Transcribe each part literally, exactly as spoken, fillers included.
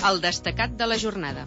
el destacat de la jornada.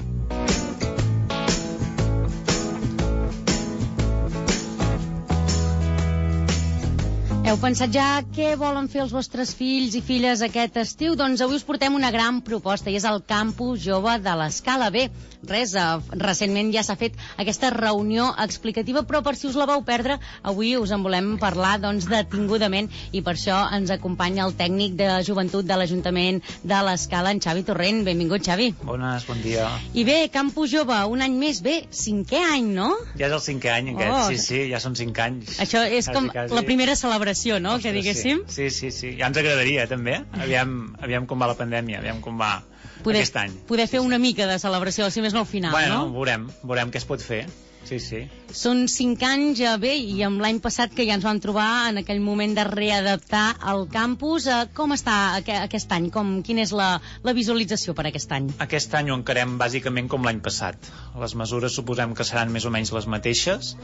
Heu pensat ja què volen fer els vostres fills i filles aquest estiu? Doncs avui us portem una gran proposta i és el Campus Jove de l'Escala. Bé, res, eh, recentment ja s'ha fet aquesta reunió explicativa, però per si us la vau perdre, avui us en volem parlar doncs detingudament i per això ens acompanya el tècnic de joventut de l'Ajuntament de l'Escala, en Xavi Torrent. Benvingut, Xavi. Bones, bon dia. I bé, Campus Jove, un any més, bé, cinquè any, no? Ja és el cinquè any aquest, oh. sí, sí, ja són cinc anys. Això és quasi, com quasi la primera celebració, no?, Ostres, que diguéssim. Sí, sí, sí, ja ens agradaria també, aviam, aviam com va la pandèmia, aviam com va poder, aquest any. Poder fer una mica de celebració, si més no al final, bueno, no? Bueno, veurem, veurem què es pot fer. Sí, sí. Són cinc anys, ja bé, i amb l'any passat que ja ens vam trobar en aquell moment de readaptar el campus. Com està aquest any? Com, quina és la, la visualització per aquest any? Aquest any ho encarem bàsicament com l'any passat. Les mesures suposem que seran més o menys les mateixes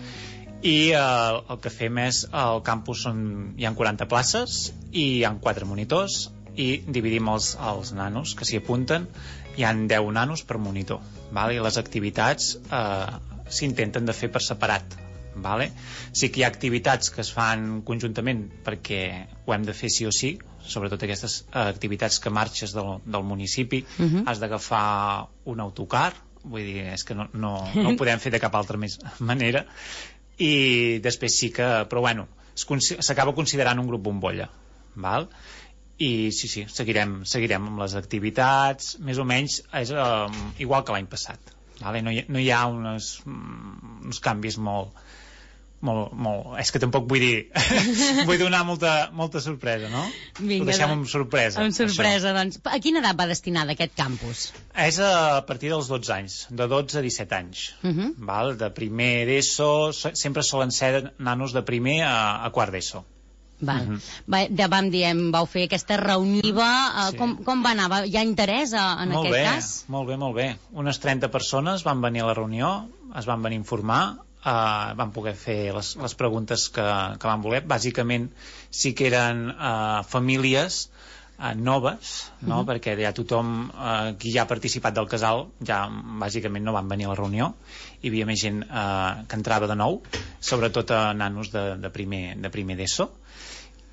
i eh, el que fem és, al campus són, hi ha quaranta places i hi ha quatre monitors i dividim els, els nanos que s'hi apunten. Hi ha deu nanos per monitor, vale? I les activitats eh, s'intenten de fer per separat, vale? Sí que hi ha activitats que es fan conjuntament perquè ho hem de fer sí o sí, sobretot aquestes eh, activitats que marxes del, del municipi, uh-huh. Has d'agafar un autocar, vull dir, és que no, no, no ho podem fer de cap altra més manera, i després sí que, però bueno, s'acaba considerant un grup bombolla, val? I sí, sí, seguirem, seguirem amb les activitats, més o menys és eh, igual que l'any passat. Vale? No, hi, no hi ha unes, uns canvis molt, molt, molt... És que tampoc vull dir... vull donar molta, molta sorpresa, no? Vinga, ho deixem amb sorpresa. Amb sorpresa, això. Doncs. A quina edat va destinada aquest campus? És a partir dels dotze anys, de dotze a disset anys. Uh-huh. Val? De primer d'ESO, sempre solen ser nanos de primer a, a quart d'ESO. Val. Uh-huh. Va, ja vam dir, vau fer aquesta reuniva, uh, sí. com, com va anar? Hi ha interès uh, en molt aquest bé, cas? Molt bé, molt bé. Unes trenta persones van venir a la reunió, es van venir a informar, uh, van poder fer les, les preguntes que, que van voler. Bàsicament sí que eren uh, famílies uh, noves, no? Uh-huh. Perquè ja tothom uh, qui ja ha participat del casal ja bàsicament no van venir a la reunió. Hi havia més gent uh, que entrava de nou, sobretot a nanos de, de primer, de primer d'ESO.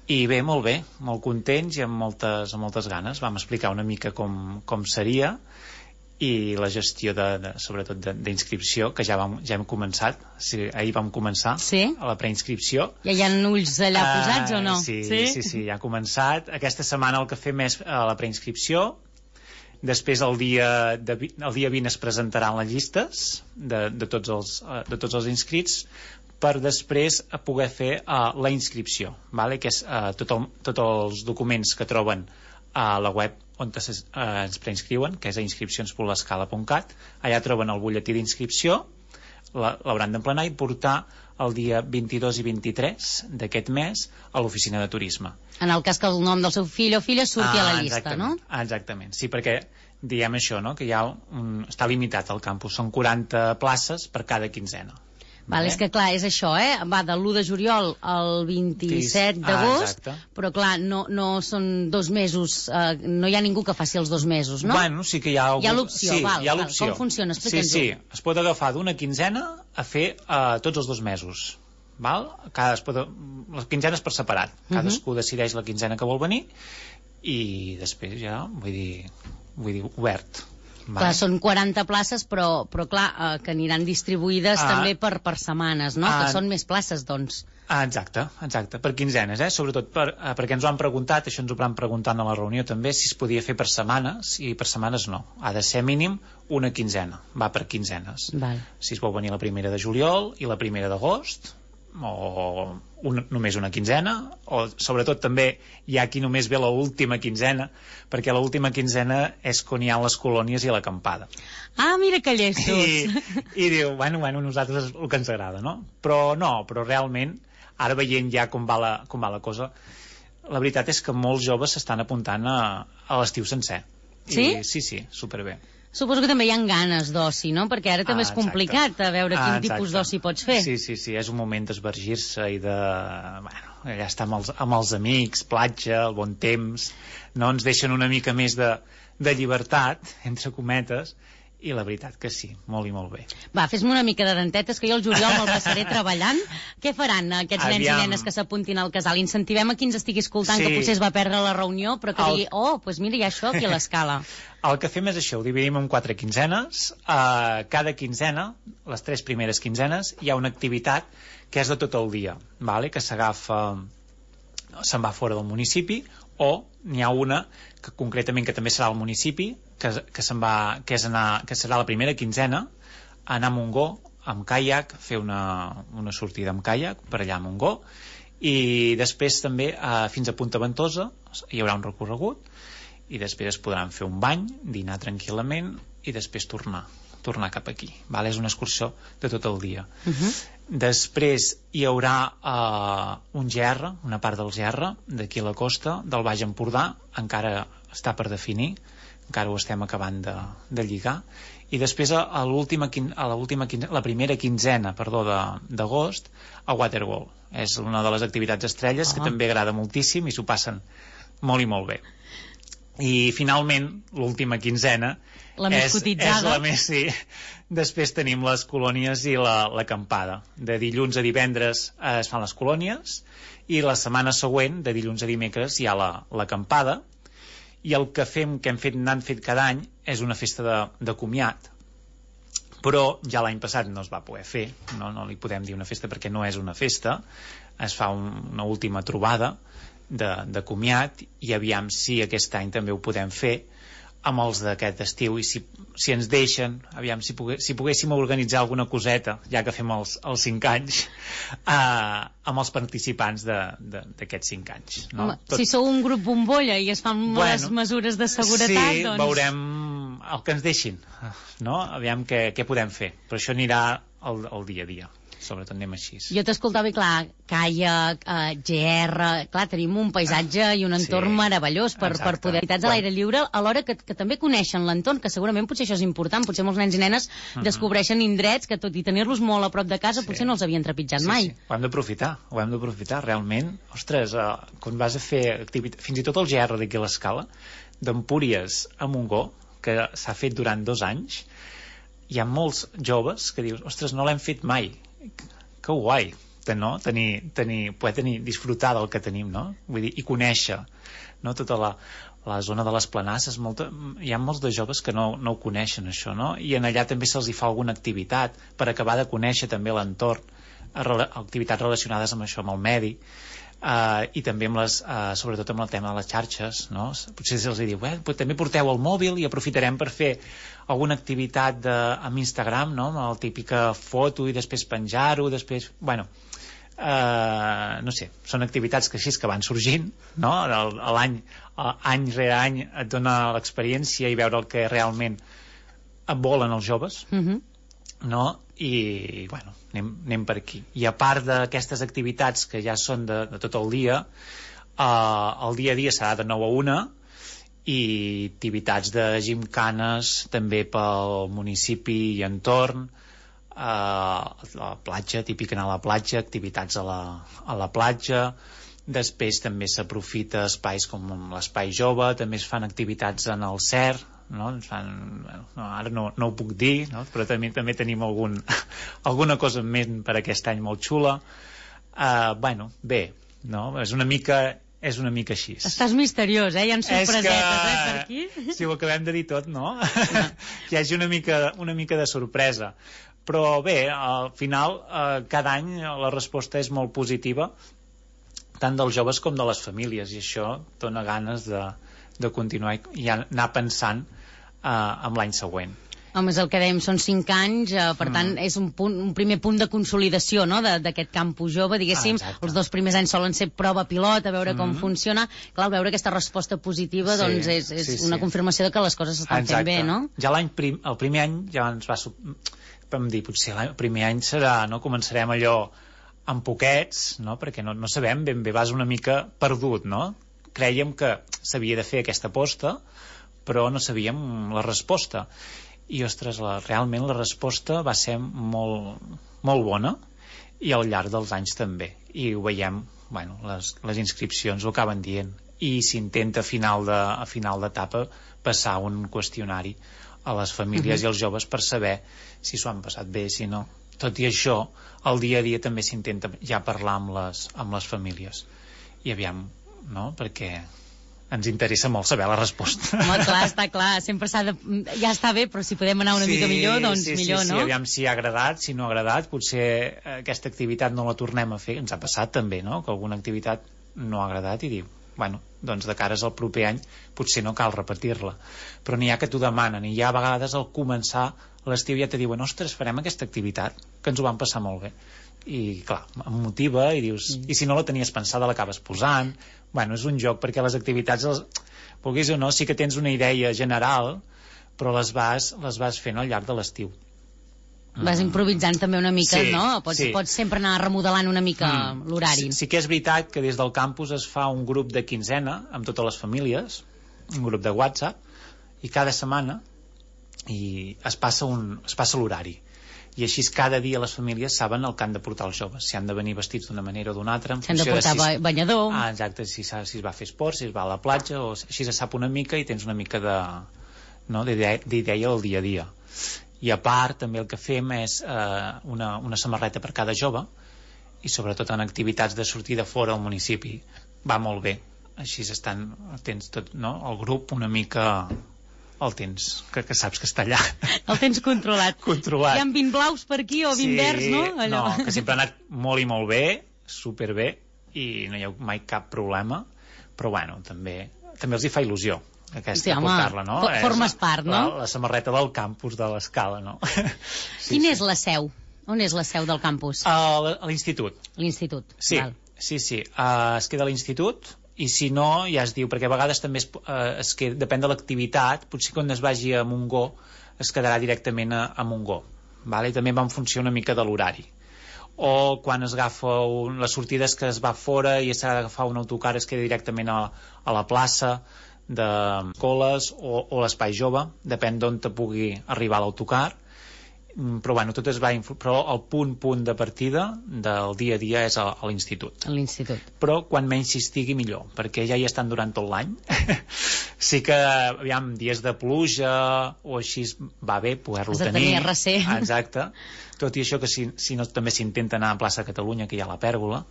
I bé, molt bé, molt contents i amb moltes, amb moltes ganes. Vam explicar una mica com, com seria i la gestió de, de, sobretot d'inscripció, que ja, vam, ja hem començat. Sí, ahir vam començar sí? a la preinscripció. Ja hi ha ulls allà posats uh, o no? Sí, sí, sí, sí, ja ha començat. Aquesta setmana el que fem és a la preinscripció. Després el dia, de, el dia vint es presentaran les llistes de, de, tots els, de tots els inscrits per després poder fer uh, la inscripció, vale? Que és uh, tot el, tots els documents que troben a la web on es, uh, ens preinscriuen, que és a inscripcions punt l'escala punt cat. Allà troben el butlletí d'inscripció, l'hauran d'emplenar i portar el dia vint-i-dos i vint-i-tres d'aquest mes a l'oficina de turisme. En el cas que el nom del seu fill o filla surti ah, a la llista, no? Exactament, sí, perquè diem això, no? Que hi ha un, està limitat al campus, són quaranta places per cada quinzena. Val, és que clar, és això, eh? Va de l'u de juliol al vint-i-set d'agost, ah, però clar, no, no són dos mesos, eh, no hi ha ningú que faci els dos mesos, no? Bueno, sí que hi ha... Algun... Hi ha l'opció, sí, val, hi ha val. Com funciona? Explica'ns-ho. Sí, sí, es pot agafar d'una quinzena a fer uh, tots els dos mesos, val? Cada, es pot, les quinzenes per separat, cadascú uh-huh. decideix la quinzena que vol venir i després ja, vull dir, vull dir obert. Vale. Clar, són quaranta places, però, però clar, eh, que aniran distribuïdes ah, també per, per setmanes, no? Ah, que són més places, doncs. Ah, exacte, exacte, per quinzenes, eh? Sobretot per, eh, perquè ens ho han preguntat, això ens ho van preguntant a la reunió també, si es podia fer per setmanes, i per setmanes no. Ha de ser mínim una quinzena, va per quinzenes. Val. Si es vol venir la primera de juliol i la primera d'agost, o un, només una quinzena, o sobretot també hi ha qui només ve l'última quinzena, perquè l'última quinzena és quan hi ha les colònies i l'acampada. Ah, mira que llestos! I, i diu, bueno, bueno, nosaltres és el que ens agrada, no? Però no, però realment, ara veient ja com va la, com va la cosa, la veritat és que molts joves s'estan apuntant a, a l'estiu sencer. Sí? I, sí, sí, superbé. Suposo que també hi ha ganes d'oci, no? Perquè ara també ah, és complicat a veure quin ah, tipus d'oci pots fer. Sí, sí, sí, és un moment d'esvergir-se i de... Bueno, allà està amb els, amb els amics, platja, el bon temps, no ens deixen una mica més de, de llibertat, entre cometes, i la veritat que sí, molt i molt bé. Va, fes-me una mica de dentetes, que jo el juliol me'l passaré treballant. Què faran aquests Aviam. nens i nenes que s'apuntin al casal? Incentivem a qui ens estigui escoltant, sí. que potser es va perdre la reunió, però que el... digui, oh, doncs mira, hi ha això aquí a l'escala. El que fem és això, ho dividim en quatre quinzenes. Uh, cada quinzena, les tres primeres quinzenes, hi ha una activitat que és de tot el dia, vale? Que s'agafa, se'n va fora del municipi, o n'hi ha una que concretament que també serà al municipi, que, que, se'n va, que, és anar, que serà la primera quinzena, anar a Montgó amb caiac, fer una, una sortida amb caiac per allà a Montgó, i després també eh, fins a Punta Ventosa hi haurà un recorregut, i després es podran fer un bany, dinar tranquil·lament i després tornar tornar cap aquí, vale? És una excursió de tot el dia. Uh-huh. Després hi haurà uh, un G R, una part del G R d'aquí a la costa, del Baix Empordà, encara està per definir, encara ho estem acabant de, de lligar, i després a, a l'última a l'última la primera quinzena, perdó, d'agost, a Waterworld. És una de les activitats estrelles, uh-huh. que també agrada moltíssim i s'ho passen molt i molt bé. I finalment l'última quinzena la més és, cotitzada. és la més, sí. Després tenim les colònies i la, l'acampada. De dilluns a divendres eh, es fan les colònies, i la setmana següent, de dilluns a dimecres, hi ha la, l'acampada, i el que fem, que hem fet, n'han fet cada any, és una festa de, de comiat, però ja l'any passat no es va poder fer, no, no li podem dir una festa perquè no és una festa, es fa un, una última trobada de, de comiat, i aviam si aquest any també ho podem fer amb els d'aquest estiu, i si, si ens deixen, aviam si, pogué, si poguéssim organitzar alguna coseta, ja que fem els, els cinc anys, eh, amb els participants d'aquests cinc anys. No? Home, Tot... Si sou un grup bombolla i es fan bueno, les mesures de seguretat, sí, doncs... veurem el que ens deixin, no? Aviam què, què podem fer, però això anirà el, el dia a dia. Sobretot anem així. Jo t'escoltava i clar, caiac, eh, G R, clar, tenim un paisatge i un entorn sí, meravellós per, per poder activitats a l'aire lliure, alhora que, que també coneixen l'entorn, que segurament potser això és important, potser molts nens i nenes uh-huh. descobreixen indrets que tot i tenir-los molt a prop de casa sí. potser no els havien trepitjat sí, mai. Sí. Ho hem d'aprofitar, ho hem d'aprofitar realment. Ostres, eh, quan vas a fer activitat, fins i tot el G R d'aquí a l'Escala, d'Empúries a Montgó, que s'ha fet durant dos anys, hi ha molts joves que dius, ostres, no l'hem fet mai. Que guai, no? tenir, tenir, poder tenir, disfrutar del que tenim, no? Vull dir, i conèixer, no? Tota la, la zona de les planasses, molta, hi ha molts de joves que no, no ho coneixen això, no? I en allà també se'ls hi fa alguna activitat per acabar de conèixer també l'entorn, activitats relacionades amb això, amb el medi, Uh, i també amb les, uh, sobretot amb el tema de les xarxes, no? Potser se'ls diu, eh, però també porteu el mòbil i aprofitarem per fer alguna activitat de, amb Instagram, no? Amb la típica foto i després penjar-ho, després, bueno, uh, no sé, són activitats que així que van sorgint, no? L'any, any rere any et dona l'experiència i veure el que realment volen els joves, mm-hmm. no? I, bueno, anem, anem per aquí. I a part d'aquestes activitats que ja són de, de tot el dia, eh, el dia a dia serà de nou a una, i activitats de gimcanes també pel municipi i entorn, eh, la platja, típic anar a la platja, activitats a la, a la platja. Després també s'aprofita espais com l'espai jove, també es fan activitats en el C E R, no? Ens fan, no, ara no, no ho puc dir, no? Però també, també tenim algun, alguna cosa en ment per aquest any molt xula. Uh, bueno, bé, no? És una mica és una mica així. Estàs misteriós, eh? Hi ha sorpresetes, que... eh, per aquí. Si ho acabem de dir tot, no? Hi hagi una mica, una mica de sorpresa. Però bé, al final, eh, cada any la resposta és molt positiva, tant dels joves com de les famílies, i això dona ganes de, de continuar i anar pensant eh, en l'any següent. Home, és el que dèiem, són cinc anys, eh, per mm. tant, és un, punt, un primer punt de consolidació, no?, d'aquest campus jove, diguéssim. Ah, els dos primers anys solen ser prova pilot, a veure mm. com funciona. Clar, al veure aquesta resposta positiva, sí, doncs és, és sí, sí. una confirmació de que les coses s'estan fent bé, no? Ja l'any prim, el primer any ja ens va... Vam dir, potser el primer any serà, no?, començarem allò amb poquets, no?, perquè no, no sabem ben bé, vas una mica perdut, no? Crèiem que s'havia de fer aquesta aposta, però no sabíem la resposta. I, ostres, la, realment la resposta va ser molt, molt bona, i al llarg dels anys també. I ho veiem, bueno, les, les inscripcions ho acaben dient. i s'intenta a final de, a final d'etapa passar un qüestionari a les famílies uh-huh. i als joves per saber si s'ho han passat bé, si no. Tot i això, el dia a dia també s'intenta ja parlar amb les, amb les famílies. I aviam, no? Perquè ens interessa molt saber la resposta. Home, clar, està clar, sempre s'ha de... Ja està bé, però si podem anar una sí, mica millor, doncs sí, millor, sí, no? Sí, aviam si ha agradat, si no ha agradat, potser aquesta activitat no la tornem a fer. Ens ha passat també, no?, que alguna activitat no ha agradat i diu, bueno, doncs de cares al proper any potser no cal repetir-la. Però n'hi ha que t'ho demanen, i ja a vegades al començar l'estiu ja te diuen, ostres, farem aquesta activitat, que ens ho vam passar molt bé. I clar, em motiva i dius, mm. i si no la tenies pensada l'acabes posant. Bueno, és un joc, perquè les activitats, els, vulguis o no, sí que tens una idea general, però les vas, les vas fent al llarg de l'estiu. Vas improvisant també una mica, sí, no? Pots, sí. pots sempre anar remodelant una mica mm. l'horari. Sí, sí que és veritat que des del campus es fa un grup de quinzena amb totes les famílies, un grup de WhatsApp, i cada setmana i es passa, un, es passa l'horari. I així cada dia les famílies saben el que han de portar els joves, si han de venir vestits d'una manera o d'una altra. Si han de portar de si banyador. Ah, exacte, si, si es va a fer esport, si es va a la platja, o així se sap una mica i tens una mica de, no, d'idea del dia a dia. I a part també el que fem és eh, una, una samarreta per cada jove, i sobretot en activitats de sortida fora al municipi va molt bé, així estan, tens tot, no, el grup una mica... el tens, que, que saps que està allà. El tens controlat. Controlat. Hi ha vint blaus per aquí o vint sí, verds, no? Allò. No, que sempre ha anat molt i molt bé, superbé, i no hi ha mai cap problema, però bueno, també, també els hi fa il·lusió aquesta, sí, home, portar-la, no? Formes part, no? La, la samarreta del campus de l'Escala, no? Sí, Quina sí. és la seu? On és la seu del campus? A, a l'institut. L'institut, sí, val. Sí, sí, uh, es queda a l'institut, i si no, ja es diu, perquè a vegades també es, eh, es queda, depèn de l'activitat, potser quan es vagi a Montgó es quedarà directament a, a Montgó, vale? I també va en funció una mica de l'horari, o quan es agafa un, les sortides que es va fora i s'ha d'agafar un autocar es queda directament a, a la plaça de Coles o, o l'Espai Jove, depèn d'on te pugui arribar l'autocar, però bueno, tot es va influ... però el punt punt de partida del dia a dia és a, a l'institut. A l'institut. Però quan menys s'hi estigui millor, perquè ja hi estan durant tot l'any. Sí que, aviam, dies de pluja o així va bé poder-lo tenir. Has de tenir recer. Exacte. Tot i això que si, si no també s'intenta anar a plaça Catalunya, que hi ha la pèrgola,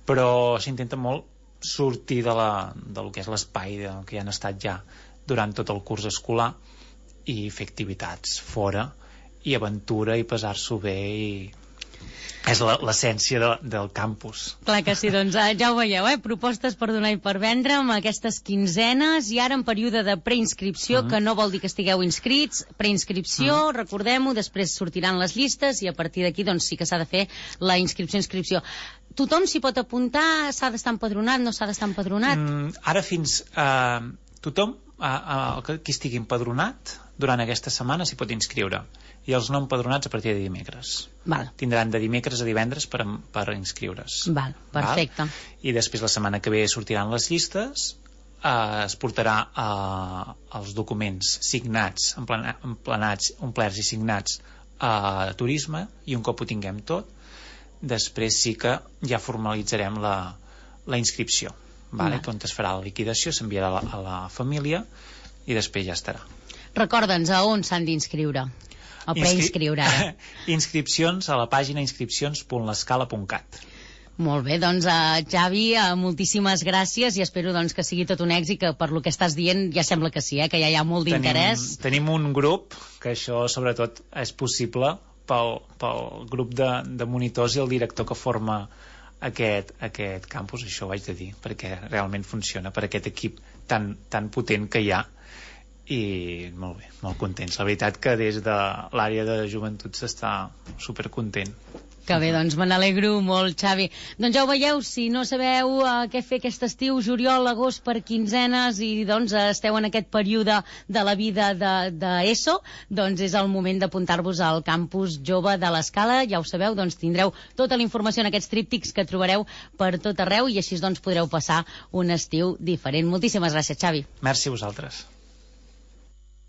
però s'intenta molt sortir de, la, de lo que és l'espai que hi han estat ja durant tot el curs escolar i fer activitats fora i aventura i passar-s'ho bé, i és l'essència de, del campus. Clar que sí, doncs ja ho veieu, eh? Propostes per donar i per vendre amb aquestes quinzenes, i ara en període de preinscripció, mm-hmm. que no vol dir que estigueu inscrits, preinscripció, mm-hmm. recordem-ho, després sortiran les llistes i a partir d'aquí doncs sí que s'ha de fer la inscripció-inscripció. Tothom s'hi pot apuntar, s'ha d'estar empadronat, no s'ha d'estar empadronat? Mm, ara fins... Uh, tothom, uh, uh, qui estigui empadronat, durant aquesta setmana s'hi pot inscriure. I els no empadronats a partir de dimecres. Val. Tindran de dimecres a divendres per, per inscriure's. Val, perfecte. Val? I després la setmana que ve sortiran les llistes, eh, es portarà eh, els documents signats, emplena, emplenats, omplerts i signats a turisme, i un cop ho tinguem tot, després sí que ja formalitzarem la, la inscripció, vale? Val. On es farà la liquidació, s'enviarà a, la, a la família i després ja estarà. Recorda'ns a on s'han d'inscriure. O preinscriure ara. Inscripcions a la pàgina inscripcions punt l'escala punt cat. Molt bé, doncs uh, Xavi, uh, moltíssimes gràcies, i espero doncs, que sigui tot un èxit, que per lo que estàs dient ja sembla que sí, eh, que ja hi ha molt d'interès. Tenim, tenim un grup, que això sobretot és possible pel, pel grup de, de monitors i el director que forma aquest, aquest campus, això ho haig de dir, perquè realment funciona, per aquest equip tan, tan potent que hi ha. I molt bé, molt contents. La veritat que des de l'àrea de joventut s'està supercontent. Que bé, doncs me n'alegro molt, Xavi. Doncs ja ho veieu, si no sabeu uh, què fer aquest estiu, juliol, agost per quinzenes, i doncs esteu en aquest període de la vida d'ESO, de, doncs és el moment d'apuntar-vos al campus jove de l'Escala. Ja ho sabeu, doncs tindreu tota la informació en aquests tríptics que trobareu per tot arreu, i així doncs podreu passar un estiu diferent. Moltíssimes gràcies, Xavi. Merci a vosaltres.